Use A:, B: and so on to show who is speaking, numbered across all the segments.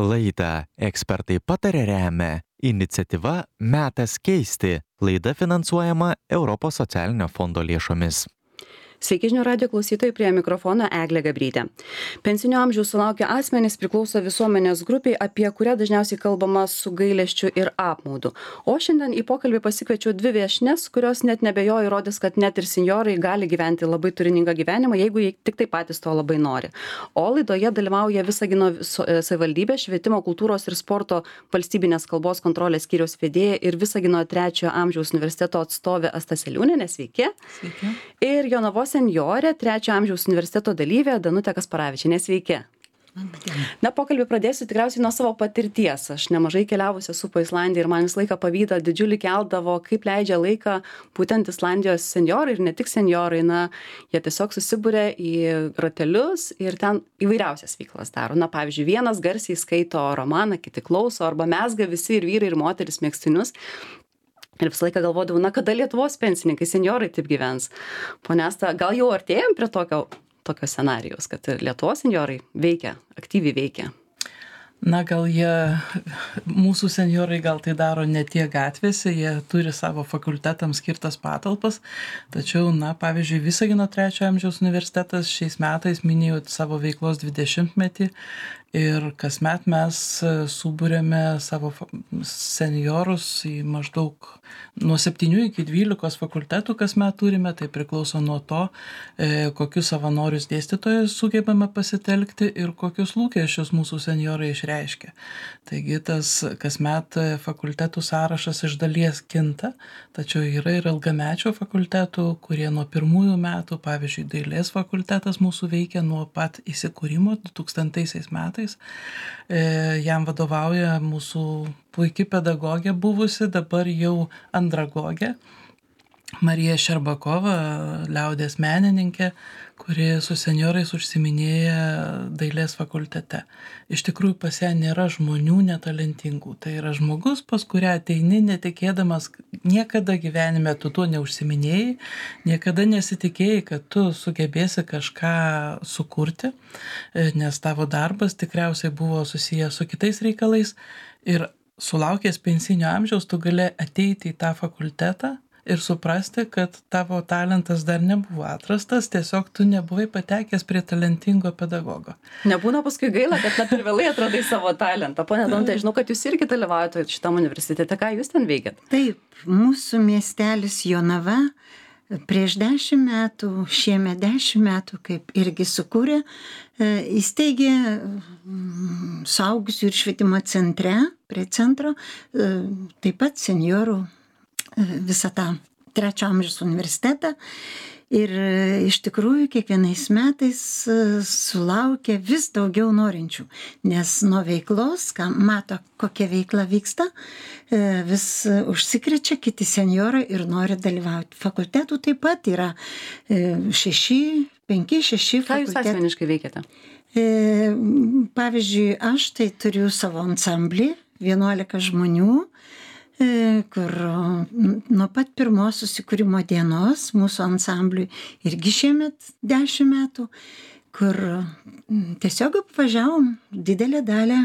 A: Laidą ekspertai patarė remia iniciatyva Metas keisti. Laida finansuojama Europos socialinio fondo lėšomis.
B: Sveiki žinių radijo klausytojai, prie mikrofono Eglė Gabrytė. Pensinio amžiaus sulaukę asmenys priklauso visuomenės grupiai, apie kurią dažniausiai kalbama su gailesčiu ir apmaudu. O šiandien į pokalbį pasikviečiau dvi viešnes, kurios net nebejoju įrodys, kad net ir senjorai gali gyventi labai turiningą gyvenimą, jeigu jie tik tai patys to labai nori. O laidoje dalyvauja Visagino savivaldybės švietimo, kultūros ir sporto valstybinės kalbos kontrolės skyriaus vedėja ir Visagino 3 amžiaus universiteto atstovė Asta Seliūnienė. Sveiki.
C: Sveiki.
B: Ir Jonavos senjorė, 3 amžiaus universiteto dalyvė Danutė Kasparavičienė. Sveiki. Na, pokalbį pradėsiu tikriausiai nuo savo patirties. Aš nemažai keliavusi esu po Islandiją ir man visą laiką pavydą didžiulį keldavo, kaip leidžia laiką būtent Islandijos senjorai ir ne tik senjorai. Na, jie tiesiog susibūrė į ratelius ir ten įvairiausias veiklas daro. Na, pavyzdžiui, vienas garsiai skaito romaną, kiti klauso, arba mezga visi ir vyrai ir moteris megztinius. Ir visą laiką galvodavau, na, kada Lietuvos pensininkai, senjorai taip gyvens. Pone Asta, gal jau artėjom prie tokio scenarijos, kad ir Lietuvos senjorai veikia, aktyviai veikia?
C: Na, gal mūsų senjorai gal tai daro ne tiek gatvėse, jie turi savo fakultetams skirtas patalpas, tačiau, na, pavyzdžiui, Visagino 3 amžiaus universitetas šiais metais minėjo savo veiklos 20-metį ir kasmet mes subūrėme savo senjorus į maždaug nuo 7 iki 12 fakultetų kasmet turime, tai priklauso nuo to, kokius savanorius dėstytojus sugebame pasitelkti ir kokius lūkesčius mūsų senjorai išreiškia. Taigi tas kasmet fakultetų sąrašas iš dalies kinta, tačiau yra ir ilgamečio fakultetų, kurie nuo pirmųjų metų, pavyzdžiui, dailės fakultetas mūsų veikia nuo pat įsikūrimo 2000 metais. Jam vadovauja mūsų puiki pedagogė buvusi, dabar jau andragogė, Marija Šerbakova, liaudies menininkė, kuri su senjorais užsiiminėja dailės fakultete. Iš tikrųjų pas ją nėra žmonių netalentingų. Tai yra žmogus, pas kurią ateini netikėdamas, niekada gyvenime tu tuo neužsiiminėjai, niekada nesitikėjai, kad tu sugebėsi kažką sukurti, nes tavo darbas tikriausiai buvo susijęs su kitais reikalais ir sulaukęs pensinio amžiaus tu gali ateiti į tą fakultetą ir suprasti, kad tavo talentas dar nebuvo atrastas, tiesiog tu nebuvai patekęs prie talentingo pedagogo.
B: Nebūna paskui gaila, kad net per vėlai atradai savo talentą. Pone Danutė, žinau, kad jūs irgi dalyvaujate šitam universitete. Ką jūs ten veikiat?
D: Taip, mūsų miestelis Jonava prieš 10 metų, šiemet 10 metų, kaip irgi sukūrė, įsteigė suaugusių ir švietimo centre, prie centro, taip pat senjorų visą tą 3 amžiaus universitetą ir iš tikrųjų kiekvienais metais sulaukia vis daugiau norinčių, nes nuo veiklos, ką mato, kokia veikla vyksta, vis užsikrečia kiti senjorai ir nori dalyvauti. Fakultetų taip pat yra 5-6 fakultetų.
B: Ką jūs asmeniškai veikiate?
D: Pavyzdžiui, aš tai turiu savo ansamblį, 11 žmonių, kur nuo pat pirmos susikūrimo dienos mūsų ansambliui irgi šiemet 10 metų, kur tiesiog apvažiavom didelę dalį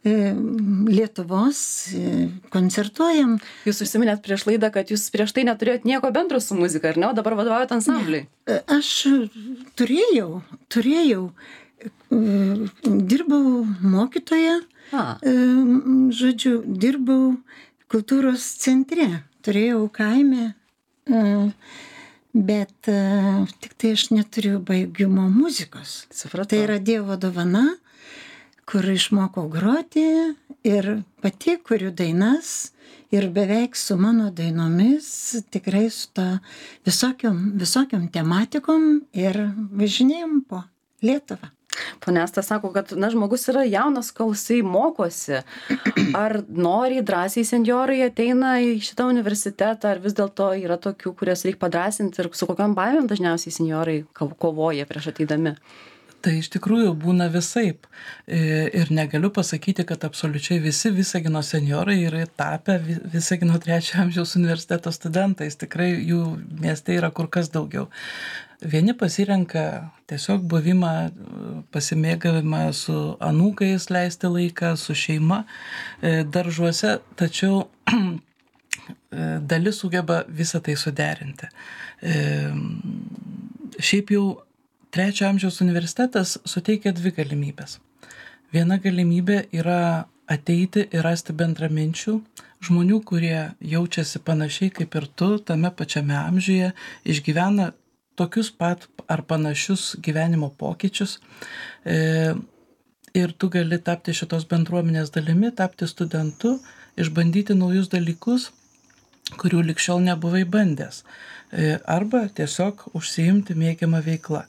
D: Lietuvos, koncertuojam.
B: Jūs užsiminėt prieš laidą, kad jūs prieš tai neturėjot nieko bendro su muzika, ar ne? O dabar vadovaujat ansambliui?
D: Aš turėjau, dirbau mokytoja, žodžiu, dirbau kultūros centre, turėjau kaime, bet tik tai aš neturiu baigimo muzikos.
B: Supratau.
D: Tai yra Dievo dovana, kur išmokau groti ir pati kuriu dainas ir beveik su mano dainomis, tikrai su to visokiom tematikom ir važinėjom po Lietuvą.
B: Pone Asta sako, kad žmogus yra jaunas, kol jisai mokosi. Ar noriai drąsiai senjorai ateina į šitą universitetą, ar vis dėlto yra tokių, kurias reikia padrąsinti ir su kokiam baimėm dažniausiai senjorai kovoja prieš ateidami?
C: Tai iš tikrųjų būna visaip. Ir negaliu pasakyti, kad absoliučiai visi Visagino senjorai yra tapę Visagino 3 amžiaus universiteto studentais. Tikrai jų mieste yra kur kas daugiau. Vieni pasirenka tiesiog buvimą, pasimėgavimą su anūkais, leisti laiką, su šeima daržuose, tačiau dalis sugeba visą tai suderinti. Šiaip jau Trečio amžiaus universitetas suteikia dvi galimybės. Viena galimybė yra ateiti ir rasti bendraminčių, žmonių, kurie jaučiasi panašiai kaip ir tu, tame pačiame amžiuje, išgyvena tokius pat ar panašius gyvenimo pokyčius. Ir tu gali tapti šitos bendruomenės dalimi, tapti studentu, išbandyti naujus dalykus, kurių likščiol nebuvai bandęs. Arba tiesiog užsiimti mėgiamą veiklą.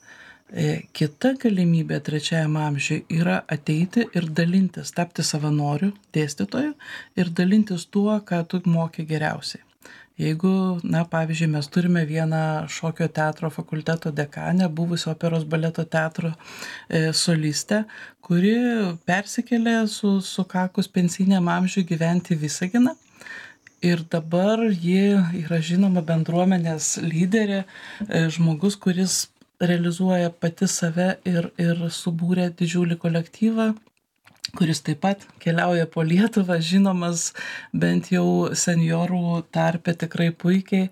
C: Kita galimybė trečiajam amžiui yra ateiti ir dalintis, tapti savanoriu, dėstytoju ir dalintis tuo, ką tu moki geriausiai. Jeigu, pavyzdžiui, mes turime vieną šokio teatro fakulteto dekanę, buvusio operos baleto teatro solistę, kuri persikėlė sukakus pensiniam amžiui gyventi į Visaginą. Ir dabar ji yra žinoma bendruomenės lyderė, žmogus, kuris realizuoja pati save ir subūrė didžiulį kolektyvą, kuris taip pat keliauja po Lietuvą, žinomas bent jau seniorų tarpe tikrai puikiai,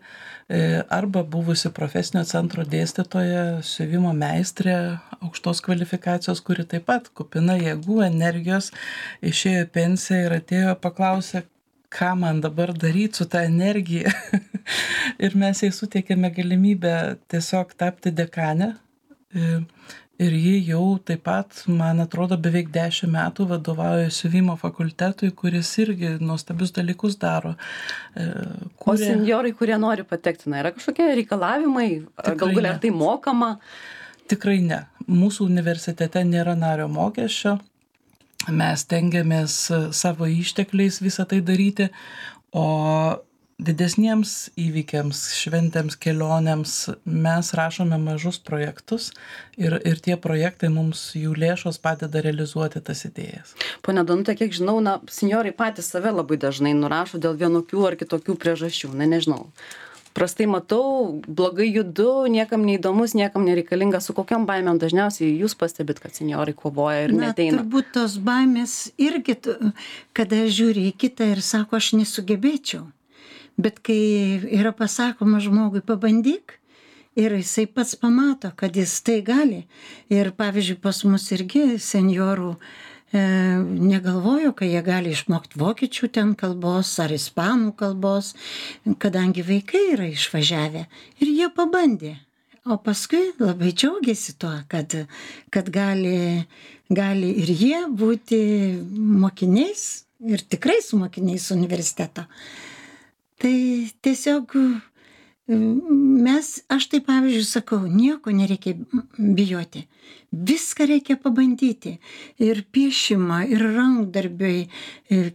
C: arba buvusi profesinio centro dėstytoja, siuvimo meistrė, aukštos kvalifikacijos, kuri taip pat kupina jėgų, energijos, išėjo į pensiją ir atėjo paklausė, ką man dabar daryti su tą energiją. Ir mes jai suteikėme galimybę tiesiog tapti dekanę. Ir ji jau taip pat, man atrodo, beveik 10 metų vadovauja siuvimo fakultetui, kuris irgi nuostabius dalykus daro.
B: O senjorai, kurie nori patekti, yra kažkokie reikalavimai? Gal galia tai mokama?
C: Tikrai ne. Mūsų universitete nėra nario mokesčio. Mes tengiamės savo ištekliais visą tai daryti, o didesniems įvykiams, šventėms, kelionėms mes rašome mažus projektus ir tie projektai mums, jų lėšos padeda realizuoti tas idėjas.
B: Pone Danute, kiek žinau, senjorai patys save labai dažnai nurašo dėl vienokių ar kitokių priežasčių, nežinau. Prastai matau, blogai judu, niekam neįdomus, niekam nereikalingas, su kokiam baimėm dažniausiai jūs pastebit, kad senjorai kovoja ir neteina?
D: Turbūt tos baimės irgi, kada žiūri į kitą ir sako, aš nesugebėčiau. Bet kai yra pasakoma žmogui, pabandyk, ir jisai pats pamato, kad jis tai gali. Ir pavyzdžiui, pas mus irgi senjorų negalvojo, kad jie gali išmokti vokiečių ten kalbos ar ispanų kalbos, kadangi vaikai yra išvažiavę. Ir jie pabandė. O paskui labai džiaugiasi tuo, kad gali ir jie būti mokiniais ir tikrais mokiniais universiteto. Tai tiesiog aš tai pavyzdžiui sakau, nieko nereikia bijoti. Viską reikia pabandyti. Ir piešimą, ir rankdarbiai.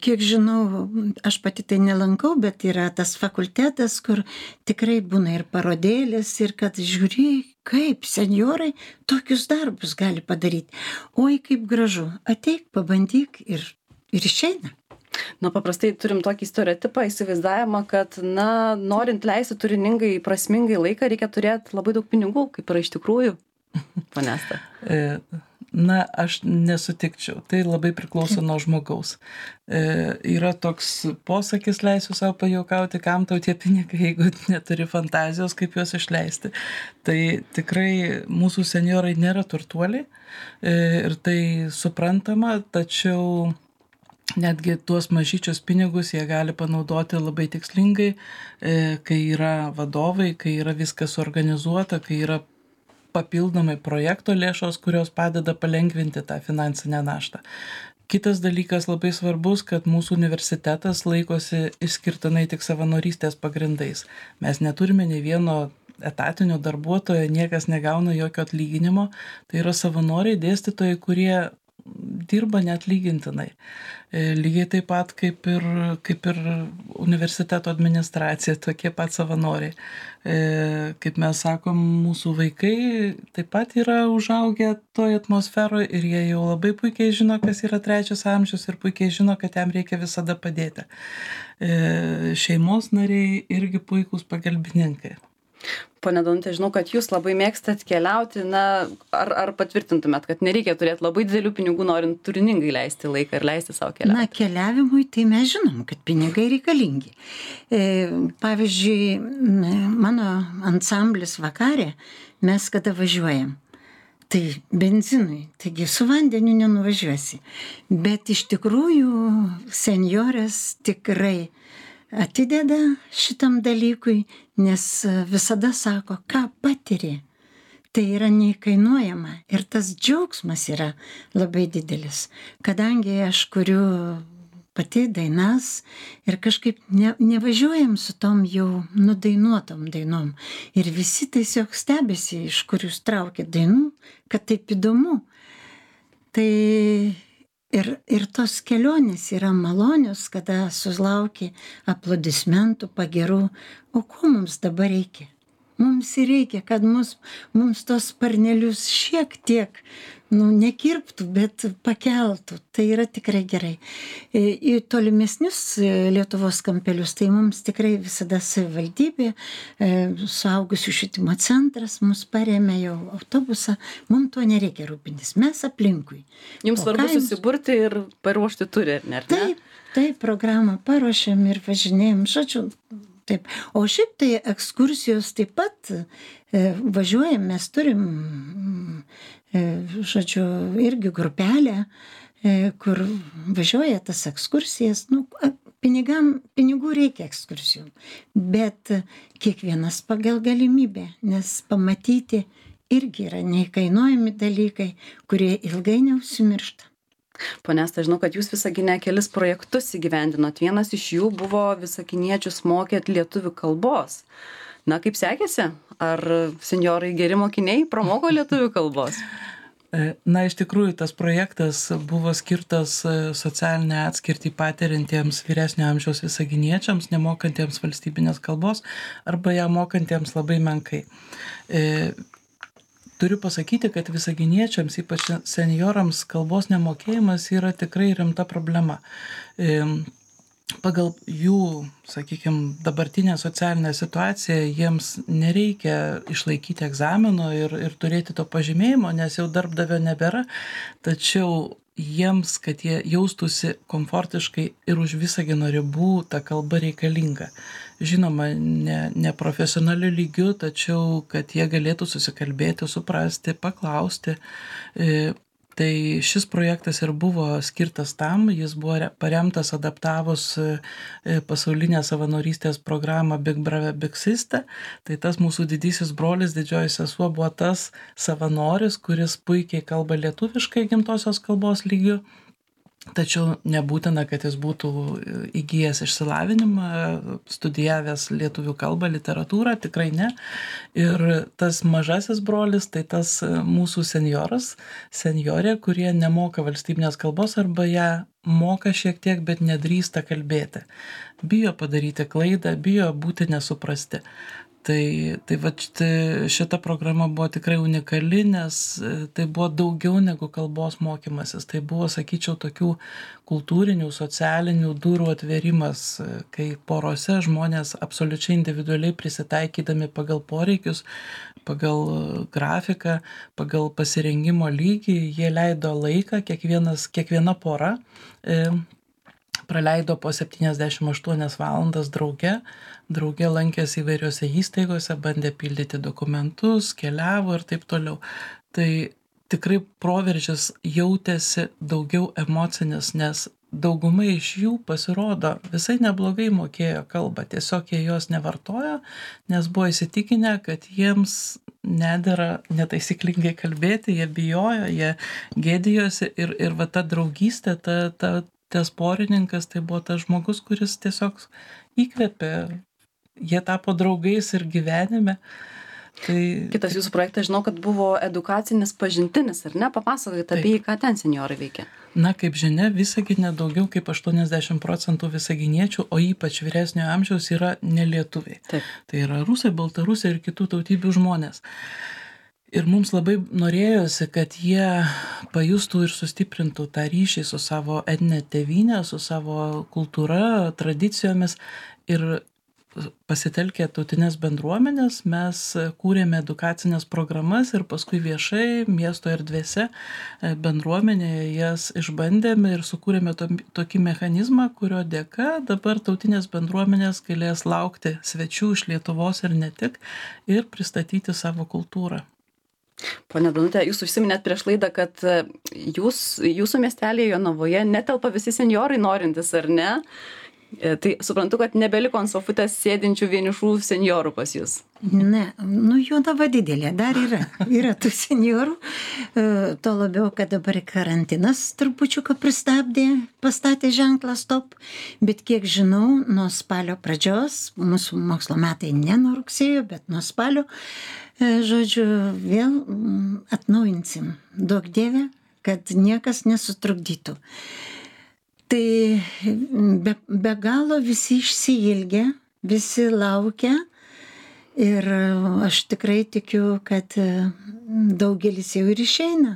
D: Kiek žinau, aš pati tai nelankau, bet yra tas fakultetas, kur tikrai būna ir parodėlės, ir kad žiūri, kaip senjorai tokius darbus gali padaryti. Oi, kaip gražu. Ateik, pabandyk ir išeina.
B: Paprastai turim tokį stereotipą, įsivaizdavimą, kad, norint leisti turiningai, prasmingai laiką, reikia turėti labai daug pinigų, kaip yra iš tikrųjų. Panesta.
C: Aš nesutikčiau. Tai labai priklauso nuo žmogaus. Yra toks posakis, leisiu savo pajuokauti, kam tau tie pinigai, jeigu neturi fantazijos, kaip juos išleisti. Tai tikrai mūsų senjorai nėra turtuoliai ir tai suprantama, tačiau netgi tuos mažyčius pinigus jie gali panaudoti labai tikslingai, kai yra vadovai, kai yra viskas suorganizuota, kai yra papildomai projekto lėšos, kurios padeda palengvinti tą finansinę naštą. Kitas dalykas labai svarbus, kad mūsų universitetas laikosi išskirtinai tik savanorystės pagrindais. Mes neturime nei vieno etatinio darbuotojo, niekas negauna jokio atlyginimo. Tai yra savanoriai, dėstytojai, kurie dirba neatlygintinai. Lygiai taip pat kaip ir universiteto administracija, tokie pat savanoriai. Kaip mes sakom, mūsų vaikai taip pat yra užaugę toj atmosferoje ir jie jau labai puikiai žino, kas yra trečias amžius ir puikiai žino, kad jam reikia visada padėti. Šeimos nariai irgi puikūs pagalbininkai.
B: Pone Danute, žinau, kad jūs labai mėgstat keliauti, ar patvirtintumėt, kad nereikia turėti labai didelių pinigų, norint turiningai leisti laiką ir leisti savo keliauti?
D: Na, keliavimui tai mes žinom, kad pinigai reikalingi. Pavyzdžiui, mano ansamblis vakarė, mes kada važiuojam, tai benzinui, taigi su vandeniu nenuvažiuosi. Bet iš tikrųjų senjorės tikrai atideda šitam dalykui, nes visada sako, ką patiri. Tai yra neįkainuojama ir tas džiaugsmas yra labai didelis. Kadangi aš kuriu pati dainas ir kažkaip nevažiuojam su tom jau nudainuotom dainom. Ir visi tiesiog stebisi, iš kur jūs traukėt dainų, kad taip įdomu. Tai ir tos kelionės yra malonios, kada sulauki aplodismentų, pagirų. O ko mums dabar reikia? Mums ir reikia, kad mums tos sparnelius šiek tiek, nekirptų, bet pakeltų. Tai yra tikrai gerai. Į tolimesnius Lietuvos kampelius, tai mums tikrai visada savivaldybė, suaugusių švietimo centras mus parėmė jau autobusą. Mums to nereikia rūpintis, mes aplinkui.
B: Jums svarbu susiburti ir paruošti turi, ar ne?
D: Taip, programą paruošėm ir važinėjom, žodžiu. Taip. O šiaip tai ekskursijos taip pat važiuojam, mes turim, žodžiu, irgi grupelę, kur važiuoja tas ekskursijas. Pinigų reikia ekskursijų, bet kiekvienas pagal galimybę, nes pamatyti irgi yra neįkainuojami dalykai, kurie ilgai neužsimiršta.
B: Pone Asta, žinau, kad jūs Visagine kelis projektus įgyvendinot. Vienas iš jų buvo visaginiečius mokėt lietuvių kalbos. Kaip sekėsi? Ar senjorai geri mokiniai pramoko lietuvių kalbos?
C: Iš tikrųjų, tas projektas buvo skirtas socialinę atskirtį patiriantiems vyresnio amžiaus visaginiečiams, nemokantiems valstybinės kalbos arba ją mokantiems labai menkai. Turiu pasakyti, kad visaginiečiams, ypač seniorams, kalbos nemokėjimas yra tikrai rimta problema. Pagal jų, sakykime, dabartinę socialinę situaciją jiems nereikia išlaikyti egzamino ir turėti to pažymėjimo, nes jau darbdavio nebėra, tačiau jiems, kad jie jaustųsi komfortiškai ir už Visagino ribų, ta kalba reikalinga. Žinoma, ne profesionaliu lygiu, tačiau kad jie galėtų susikalbėti, suprasti, paklausti. Tai šis projektas ir buvo skirtas tam, jis buvo paremtas adaptavus pasaulinę savanorystės programą Big Brother Big Sister. Tai tas mūsų didysis brolis, didžioji sesuo buvo tas savanoris, kuris puikiai kalba lietuviškai gimtosios kalbos lygiu. Tačiau nebūtina, kad jis būtų įgijęs išsilavinimą, studijavęs lietuvių kalbą, literatūrą, tikrai ne. Ir tas mažasis brolis, tai tas mūsų senjorė, kurie nemoka valstybinės kalbos arba ją moka šiek tiek, bet nedrįsta kalbėti. Bijo padaryti klaidą, bijo būti nesuprasti. Tai šita programa buvo tikrai unikali, nes tai buvo daugiau negu kalbos mokymasis. Tai buvo, sakyčiau, tokių kultūrinių, socialinių durų atverimas, kai porose žmonės absoliučiai individualiai prisitaikydami pagal poreikius, pagal grafiką, pagal pasirengimo lygį, jie leido laiką, kiekviena pora praleido po 78 valandas drauge lankėsi įvairiose įstaigose, bandė pildyti dokumentus, keliavo ir taip toliau. Tai tikrai proveržis jautėsi daugiau emocinis, nes dauguma iš jų pasirodo visai neblogai mokėjo kalbą, tiesiog jie jos nevartojo, nes buvo įsitikinę, kad jiems nedera netaisyklingai kalbėti, jie bijojo, jie gėdijosi ir va ta draugystė, tas porininkas, tai buvo tas žmogus, kuris tiesiog įkvėpė, jie tapo draugais ir gyvenime.
B: Kitas jūsų projektas, žinau, kad buvo edukacinis pažintinis, ar ne? Papasakokite apie jį, ką ten senjorai veikia.
C: Kaip žinia, Visagine daugiau kaip 80% visaginiečių, o ypač vyresnio amžiaus yra nelietuviai.
B: Taip.
C: Tai yra rusai, baltarusiai ir kitų tautybių žmonės. Ir mums labai norėjosi, kad jie pajustų ir sustiprintų tą ryšį su savo etninė tėvynė, su savo kultūra, tradicijomis ir pasitelkę tautinės bendruomenės, mes kūrėme edukacinės programas ir paskui viešai miesto erdvėse bendruomenėje jas išbandėme ir sukūrėme tokį mechanizmą, kurio dėka dabar tautinės bendruomenės galės laukti svečių iš Lietuvos ir ne tik ir pristatyti savo kultūrą.
B: Pone Danute, jūs užsiminėt prieš laidą, kad jūsų miestelėje Jonavoje netelpa visi senjorai norintys, ar ne? Tai suprantu, kad nebeliko ant sofutės sėdinčių vienišų senjorų pas jūs.
D: Ne, Jonava didelė, dar yra tų senjorų, to labiau, kad dabar karantinas trupučiuką pastatė ženklą stop, bet kiek žinau, nuo spalio pradžios, mūsų mokslo metai ne nuo rugsėjo, bet nuo spalio, žodžiu, vėl atnaujinsim, duok Dieve, kad niekas nesutrukdytų. Tai be galo visi išsiilgia, visi laukia ir aš tikrai tikiu, kad daugelis jau ir išeina.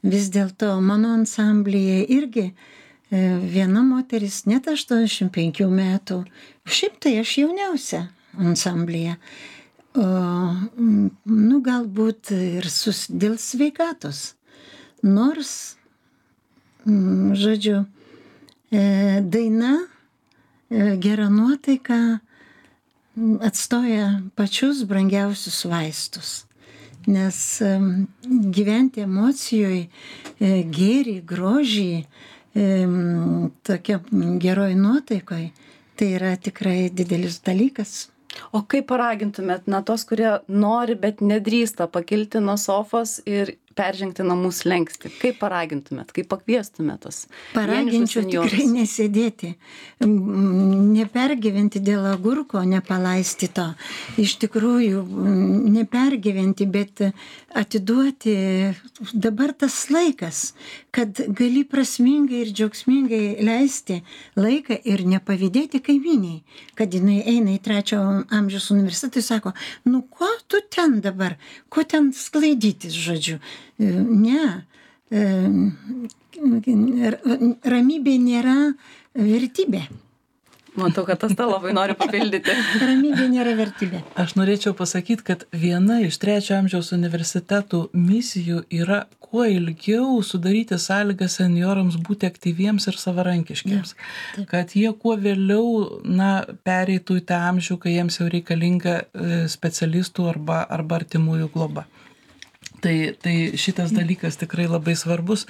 D: Vis dėlto mano ansamblyje irgi viena moteris net 85 metų, šiaip tai aš jauniausia ansamblyje. Galbūt ir dėl sveikatos. Nors, žodžiu, daina, gera nuotaika atstoja pačius brangiausius vaistus. Nes gyventi emocijoje, gėrį, grožį, tokia geroj nuotaikoje, tai yra tikrai didelis dalykas.
B: O kaip paragintumėt, tos, kurie nori, bet nedrįsta pakilti nuo sofos ir peržengti namų slenkstį? Kaip paragintumėt, kaip pakviestumėt tos?
D: Paraginčiau tikrai nesėdėti, nepergyventi dėl agurko, nepalaisti to. Iš tikrųjų, nepergyventi, bet atiduoti dabar tas laikas, kad gali prasmingai ir džiaugsmingai leisti laiką ir nepavydėti kaimyniai, kad jinai eina į 3 amžiaus universitetą ir sako, ko tu ten dabar, ko ten sklaidytis, žodžiu. Ne, ramybė nėra vertybė.
B: Matau, kad tas labai nori papildyti.
D: Ramybė nėra vertybė.
C: Aš norėčiau pasakyti, kad viena iš 3 amžiaus universitetų misijų yra kuo ilgiau sudaryti sąlygas senjorams būti aktyviems ir savarankiškiams. Ja, kad jie kuo vėliau pereitų į tą amžių, kai jiems jau reikalinga specialistų arba artimųjų globa. Tai šitas dalykas tikrai labai svarbus,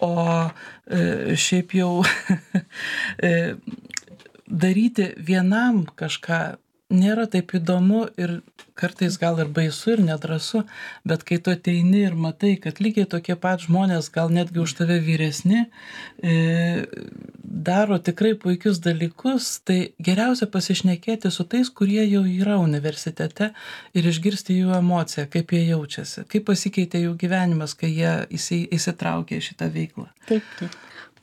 C: o šiaip jau daryti vienam kažką nėra taip įdomu ir kartais gal ir baisu ir nedrąsu, bet kai tu ateini ir matai, kad lygiai tokie pat žmonės, gal netgi už tave vyresni, daro tikrai puikius dalykus, tai geriausia pasišnekėti su tais, kurie jau yra universitete ir išgirsti jų emociją, kaip jie jaučiasi, kaip pasikeitė jų gyvenimas, kai jie įsitraukė į šitą veiklą.
D: Taip.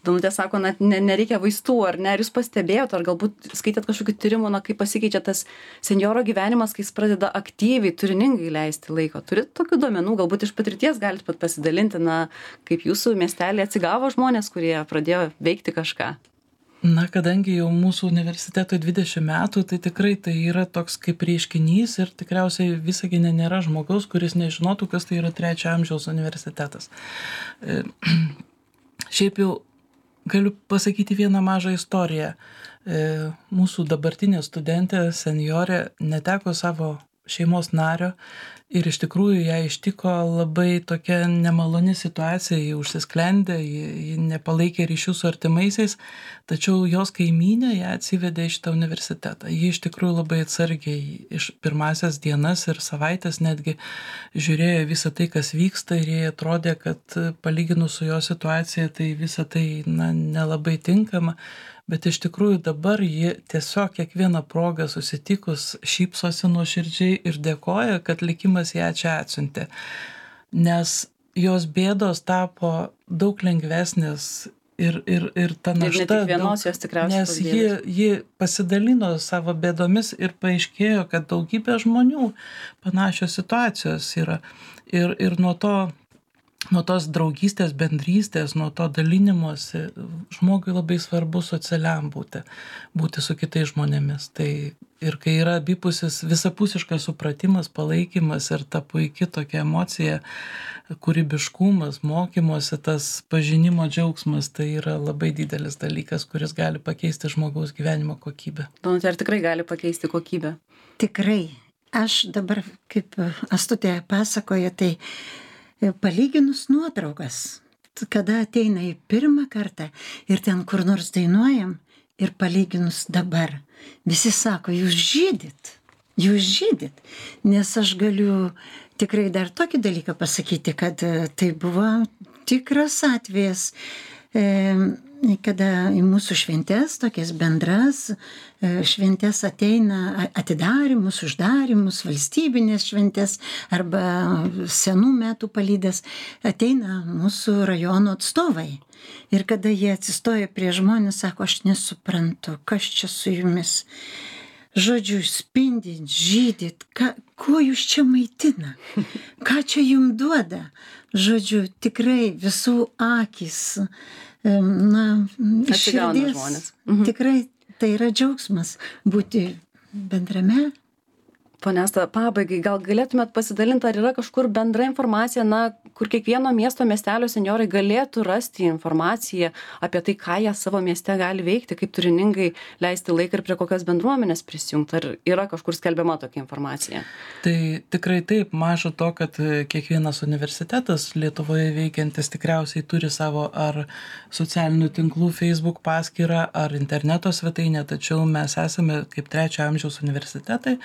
B: Danutė sako, nereikia vaistų, ar ne? Ar jūs pastebėjot, ar galbūt skaitėt kažkokių tyrimų, kaip pasikeičia tas senjoro gyvenimas, kai jis pradeda aktyviai, turiningai leisti laiko? Turit tokių duomenų, galbūt iš patirties galite pat pasidalinti, kaip jūsų miestelį atsigavo žmonės, kurie pradėjo veikti kažką?
C: Kadangi jau mūsų universitetui 20 metų, tai tikrai tai yra toks kaip reiškinys ir tikriausiai Visagine nėra žmogaus, kuris nežinotų, kas tai yra 3 amžiaus universitetas. Šiaip jau galiu pasakyti vieną mažą istoriją. Mūsų dabartinė studentė, senjorė, neteko savo šeimos nario ir iš tikrųjų ją ištiko labai tokia nemaloni situacija, ji užsisklendė, ji nepalaikė ryšių su artimaisiais, tačiau jos kaimynė ją atsivedė į šitą universitetą. Ji iš tikrųjų labai atsargiai iš pirmasias dienas ir savaitės netgi žiūrėjo visą tai, kas vyksta ir jai atrodė, kad palyginus su jo situacija, tai visą tai nelabai tinkama. Bet iš tikrųjų dabar ji tiesiog kiekvieną progą susitikus šypsosi nuoširdžiai ir dėkoja, kad likimas ją čia atsiuntė. Nes jos bėdos tapo daug lengvesnės ir ta našta.
B: Ir ne tik vienos jos tikriausiai.
C: Nes ji pasidalino savo bėdomis ir paaiškėjo, kad daugybė žmonių panašios situacijos yra. Ir nuo to nuo tos draugystės, bendrystės, nuo to dalinimosi, žmogui labai svarbu socialiam būti su kitais žmonėmis. Tai ir kai yra abipusis visapusiškas supratimas, palaikymas ir ta puikia tokia emocija, kūrybiškumas, mokymosi, tas pažinimo džiaugsmas, tai yra labai didelis dalykas, kuris gali pakeisti žmogaus gyvenimo kokybę.
B: Danute, ar tikrai gali pakeisti kokybę?
D: Tikrai. Aš dabar, kaip Astutė pasakoja, tai palyginus nuotraukas, kada ateina į pirmą kartą ir ten kur nors dainuojam ir palyginus dabar, visi sako, jūs žydit, nes aš galiu tikrai dar tokį dalyką pasakyti, kad tai buvo tikras atvejas, kada į mūsų šventes, tokias bendras šventes ateina atidarymus, uždarymus, valstybinės šventes arba senų metų palydės, ateina mūsų rajono atstovai. Ir kada jie atsistoja prie žmonės, sako, aš nesuprantu, kas čia su jumis. Žodžiu, spindit, žydit, kuo jūs čia maitina, ką čia jums duoda. Žodžiu, tikrai visų akis, širdis, tikrai tai yra džiaugsmas būti bendrame.
B: Pone Asta, pabaigai, gal galėtumėt pasidalinti, ar yra kažkur bendra informacija, kur kiekvieno miesto, miestelio senjorai galėtų rasti informaciją apie tai, ką jie savo mieste gali veikti, kaip turiningai leisti laiką ir prie kokios bendruomenės prisijungti, ar yra kažkur skelbiama tokia informacija?
C: Tai tikrai taip, maža to, kad kiekvienas universitetas Lietuvoje veikiantis tikriausiai turi savo ar socialinių tinklų Facebook paskyrą, ar interneto svetainę, tačiau mes esame kaip 3 amžiaus universitetai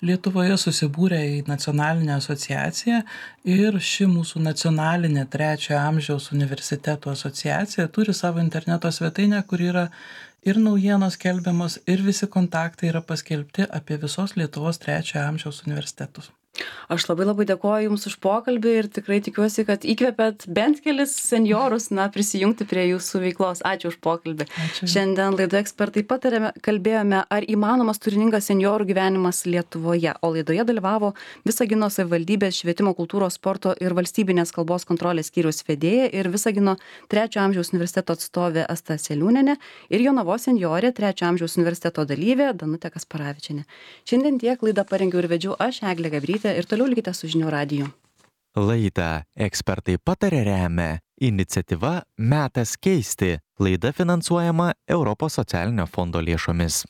C: Lietuvoje susibūrę į nacionalinę asociaciją ir ši mūsų nacionalinė 3 amžiaus universitetų asociacija turi savo interneto svetainę, kur yra ir naujienos skelbiamos, ir visi kontaktai yra paskelbti apie visos Lietuvos 3 amžiaus universitetus.
B: Aš labai dėkoju Jums už pokalbį ir tikrai tikiuosi, kad įkvėpėt bent kelis senjorus prisijungti prie Jūsų veiklos. Ačiū už pokalbį.
C: Ačiū.
B: Šiandien laidoje Ekspertai pataria kalbėjome, ar įmanomas turiningas senjorų gyvenimas Lietuvoje. O laidoje dalyvavo Visagino savivaldybės švietimo, kultūros, sporto ir valstybinės kalbos kontrolės skyriaus vedėja ir Visagino 3 amžiaus universiteto atstovė Asta Seliūnienė ir Jonavos senjorė 3 amžiaus universiteto dalyvė Danutė Kasparavičienė. Šiandien tiek, laidą parengiau ir vedžiau aš, Eglė Gabrytė. Ir toliau likite su Žinių radiju.
A: Laidą Ekspertai pataria remia iniciatyva Metas keisti. Laida finansuojama Europos socialinio fondo lėšomis.